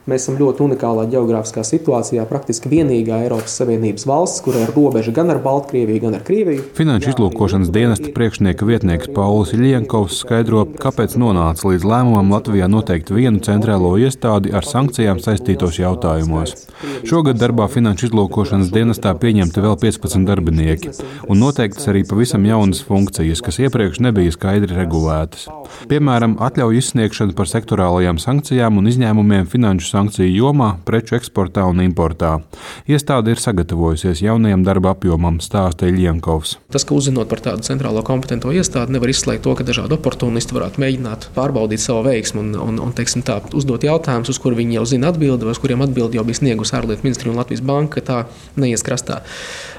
Mēs esam ļoti unikālā ģeogrāfiskā situācijā, praktiski vienīgā Eiropas Savienības valsts, kurai ir robeža gan ar Baltkrieviju, gan ar Krieviju. Finanšu izlūkošanas dienesta priekšnieka vietnieks Paulis Iļienkovs skaidro, kāpēc nonāca līdz lēmumam Latvijā noteikt vienu centrālo iestādi ar sankcijām saistītos jautājumos. Šogad darbā finanšu izlūkošanas dienestā pieņemti vēl 15 darbinieki un noteiktas arī pavisam jaunas funkcijas, kas iepriekš nebija skaidri regulētas. Piemēram, atļauju izsniegšana par sektorālajām sankcijām un izņēmumiem finanšu sankciju jomā, preču eksportā un importā. Iestāde ir sagatavojusies jaunajam darba apjomam, stāsta Iļienkovs. Tas, ka uzzinot par tādu centrālo kompetento iestādi, nevar izslēgt to, ka dažādi oportunisti varētu mēģināt pārbaudīt savu veiksmu un teiksim tā, uzdot jautājumus, uz kur viņi jau zina atbildi, vai uz kuriem atbildi jau bija sniegusi ārlietu ministrija un Latvijas banka, ka tā neies krastā.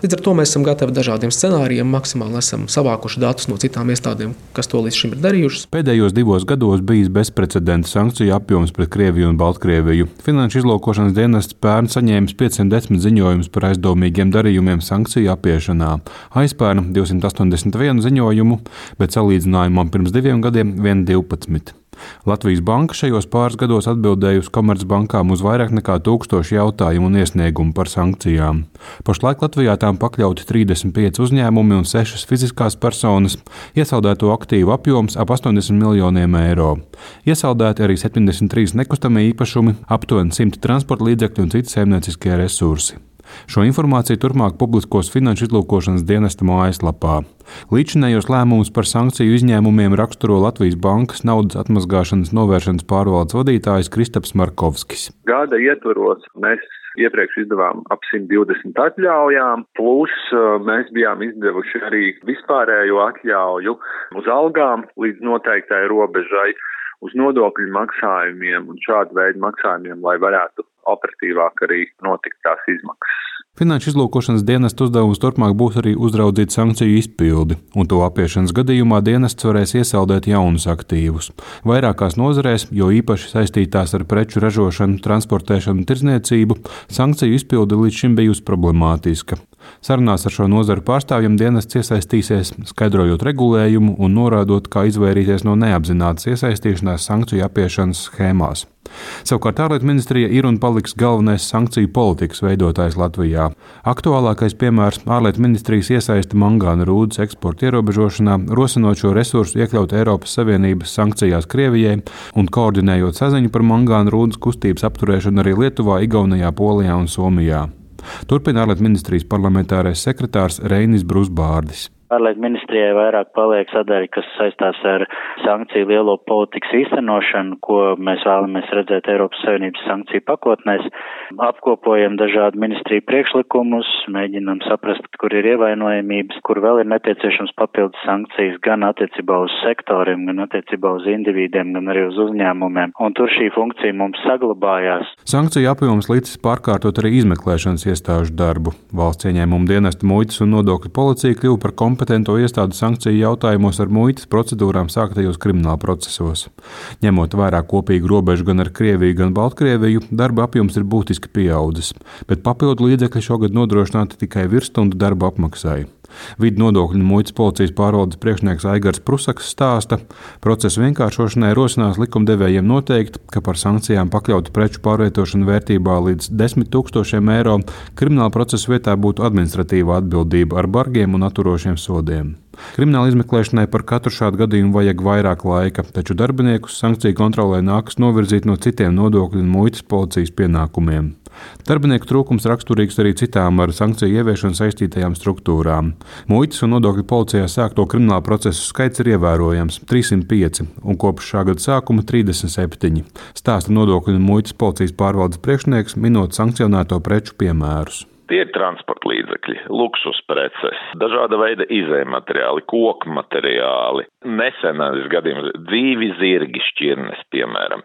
Līdz ar to mēs esam gatavi dažādiem scenārijiem, maksimāli esam savākuši datus no citām iestādēm, kas to līdz šim ir darījušas. Pēdējos 2 gados bijis bezprecedenta sankciju apjoms pret Krieviju un Baltkrieviju. Finanšu izlūkošanas dienests pērn saņēmis 510 ziņojumus par aizdomīgiem darījumiem sankciju apiešanā. Aizpērn 281 ziņojumu, bet salīdzinājumam pirms 2 gadiem vien 12. Latvijas banka šajos pāris gados atbildējusi Komercbankām uz vairāk nekā 1000 jautājumu un iesniegumu par sankcijām. Pašlaik Latvijā tām pakļauti 35 uzņēmumi un 6 fiziskās personas, iesaldēto aktīvu apjoms ap 80 miljoniem eiro. Iesaldēti arī 73 nekustamie īpašumi, aptuveni 100 transporta līdzekļi un citi saimnieciskie resursi. Šo informāciju turpmāk publiskos finanšu izlūkošanas dienesta mājaslapā. Līdzinējos lēmumus par sankciju izņēmumiem raksturo Latvijas bankas naudas atmazgāšanas novēršanas pārvaldes vadītājs Kristaps Markovskis. Gada ietvaros mēs iepriekš izdevām ap 120 atļaujām, plus mēs bijām izdevuši arī vispārējo atļauju uz algām līdz noteiktai robežai, uz nodokļu maksājumiem un šādu veidu maksājumiem, lai varētu operatīvāk arī notikt tās izmaksas. Finanšu izlūkošanas dienesta uzdevums turpmāk būs arī uzraudzīt sankciju izpildi, un to apiešanas gadījumā dienests varēs iesaldēt jaunus aktīvus. Vairākās nozarēs, jo īpaši saistītās ar preču ražošanu, transportēšanu un tirdzniecību, sankciju izpilde līdz šim bijusi problemātiska. Sarunās ar šo nozaru pārstāvjiem dienests iesaistīsies, skaidrojot regulējumu un norādot, kā izvairīties no neapzinātas iesaistīšanās sankciju apiešanas schēmās. Savukārt ārlietu ministrija ir un paliks galvenais sankciju politikas veidotājs Latvijā. Aktuālākais piemērs - ārlietu ministrijas iesaiste mangāna rūdas eksporta ierobežošanā, rosinot šo resursu iekļaut Eiropas Savienības sankcijās Krievijai un koordinējot saziņu par mangāna rūdas kustības apturēšanu arī Lietuvā, Igaunijā, Polijā un Somijā. Turpina ārlietu ministrijas parlamentārais sekretārs Reinis Brusbārdis. Ārlietu ministrijai vairāk paliek sadaļa, kas saistās ar sankciju lielo politikas īstenošanu, ko mēs vēlamies redzēt Eiropas Savienības sankciju pakotnēs. Apkopojam dažādu ministriju priekšlikumus, mēģinam saprast, kur ir ievainojamības, kur vēl ir nepieciešams papildus sankcijas gan attiecībā uz sektoriem, gan attiecībā uz individiem, gan arī uz uzņēmumiem. Un tur šī funkcija mums saglabājās. Sankciju apjoms līdz pārkārtot arī izmeklēšanas iestāžu darbu. Valsts ieņēmuma dienesta muitas un nodokļu policija kļuva par kompetento iestādu sankciju jautājumos ar muitas procedūrām sāktajos krimināla procesos. Ņemot vērā kopīgu robežu gan ar Krieviju, gan Baltkrieviju, darba apjoms ir būtiski pieaudzis, bet papildu līdzekļi šogad nodrošināti tikai virsstundu darba apmaksai. Vidu nodokļu un muitas policijas pārvaldes priekšnieks Aigars Prusaks stāsta, procesu vienkāršošanai rosinās likumdevējiem noteikt, ka par sankcijām pakļautu preču pārvietošanu vērtībā līdz 10 000 eiro krimināla procesa vietā būtu administratīva atbildība ar bargiem un atturošiem sodiem. Krimināla izmeklēšanai par katru šādu gadījumu vajag vairāk laika, taču darbiniekus sankciju kontrolē nākas novirzīt no citiem nodokļu un muitas policijas pienākumiem. Darbinieku trūkums raksturīgs arī citām ar sankciju ieviešanu saistītajām struktūrām. Muitas un nodokļu policijā sākto krimināla procesu skaits ir ievērojams - 305 un kopš šā gada sākuma 37, stāsta nodokļu un muitas policijas pārvaldes priekšnieks, minot sankcionēto preču piemērus. Tie ir transporta līdzekļi, luksus preces, dažāda veida izējmateriāli, koku materiāli. Nesenais gadījums - dzīvi zirgi šķirnes, piemēram.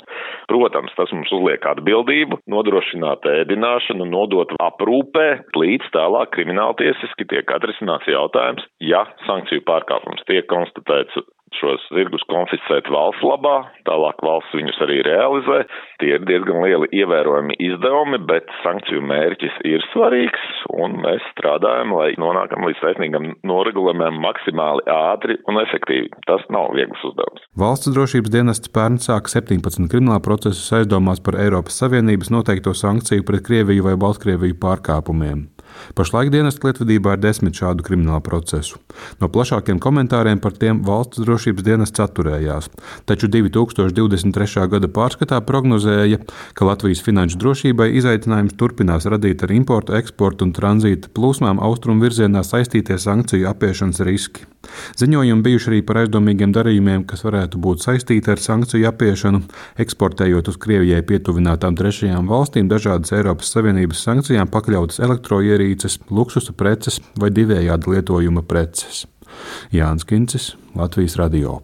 Protams, tas mums uzliek atbildību, nodrošināt ēdināšanu, nodot aprūpē, līdz tālāk krimināltiesiski tiek atrisināts jautājums, ja sankciju pārkāpums tiek konstatēts šos zirgus konfiscēt valsts labā, tālāk valsts viņus arī realizē. Tie ir diezgan lieli ievērojami izdevumi, bet sankciju mērķis ir svarīgs, un mēs strādājam, lai nonākam līdz taisnīgam noregulējumam maksimāli ātri un efektīvi. Tas nav viegls uzdevums. Valsts drošības dienests pērn sāka 17 krimināla procesus aizdomās par Eiropas Savienības noteikto sankciju pret Krieviju vai Baltkrieviju pārkāpumiem. Pašlaik dienesta lietvedībā ir 10 šādu kriminālu procesu. No plašākiem komentāriem par tiem valsts drošības dienests atturējās, taču 2023. gada pārskatā prognozēja, ka Latvijas finanšu drošībai izaicinājums turpinās radīt ar importu, eksportu un tranzīta plūsmām austrumu virzienā saistītie sankciju apiešanas riski. Ziņojumi bijuši arī par aizdomīgiem darījumiem, kas varētu būt saistīti ar sankciju apiešanu, eksportējot uz Krievijai pietuvinātām trešajām valstīm dažādas Eiropas Savienības sankcijām pakļautas elektroierīces, luksusa preces vai divējāda lietojuma preces. Jānis Kincis, Latvijas Radio.